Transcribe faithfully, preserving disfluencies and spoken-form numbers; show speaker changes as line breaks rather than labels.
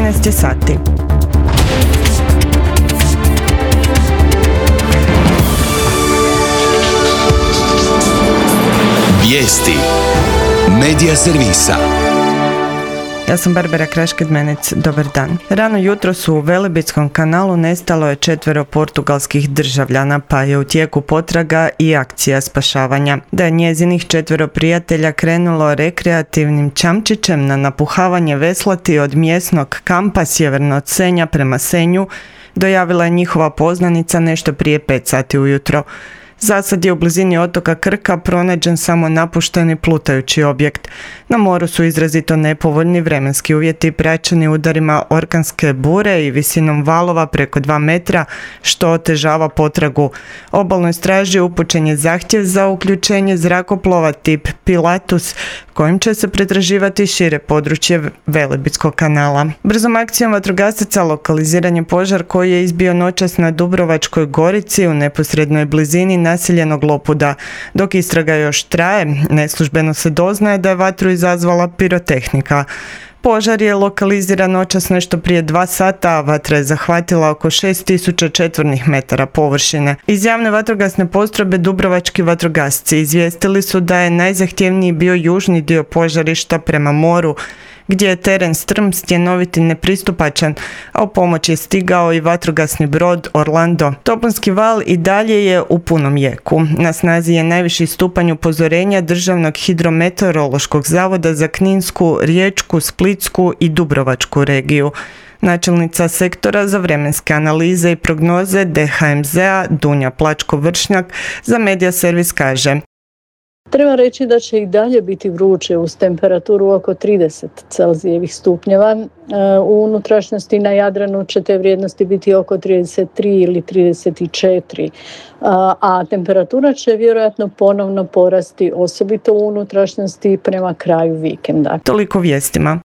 četrnaest je sati.
Vijesti Medija servisa.
Ja sam Barbara Kraš-Kidmenec, dobar dan. Rano jutros u Velebitskom kanalu nestalo je četvero portugalskih državljana, pa je u tijeku potraga i akcija spašavanja. Da je njezinih četvero prijatelja krenulo rekreativnim čamčićem na napuhavanje veslati od mjesnog kampa sjeverno od Senja prema Senju, dojavila je njihova poznanica nešto prije pet sati ujutro. Zasad je u blizini otoka Krka pronađen samo napušteni plutajući objekt. Na moru su izrazito nepovoljni vremenski uvjeti praćeni udarima orkanske bure i visinom valova preko dva metra, što otežava potragu. Obalnoj straži upućen je zahtjev za uključenje zrakoplova tip Pilatus, kojim će se pretraživati šire područje Velebitskog kanala. Brzom akcijom vatrogasaca lokaliziran je požar koji je izbio noćas na Dubrovačkoj Gorici u neposrednoj blizini naseljenog Lopuda. Dok istraga još traje, neslužbeno se doznaje da je vatru izazvala pirotehnika. Požar je lokaliziran noćas nešto prije dva sata, a vatra je zahvatila oko šest tisuća četvornih metara površine. Iz javne vatrogasne postrojbe Dubrovački vatrogasci izvijestili su da je najzahtjevniji bio južni dio požarišta prema moru, gdje je teren strm, stjenovit i nepristupačan, a u pomoć je stigao i vatrogasni brod Orlando. Toponski val i dalje je u punom jeku. Na snazi je najviši stupanj upozorenja Državnog hidrometeorološkog zavoda za Kninsku, Riječku, Splitsku i Dubrovačku regiju. Načelnica sektora za vremenske analize i prognoze D H M Z-a Dunja Plačko-Vršnjak za Medija servis kaže:
Treba reći da će i dalje biti vruće uz temperaturu oko trideset Celzijevih stupnjeva. U unutrašnjosti na Jadranu će te vrijednosti biti oko trideset tri ili trideset četiri, a temperatura će vjerojatno ponovno porasti, osobito u unutrašnjosti prema kraju vikenda.
Toliko vijestima.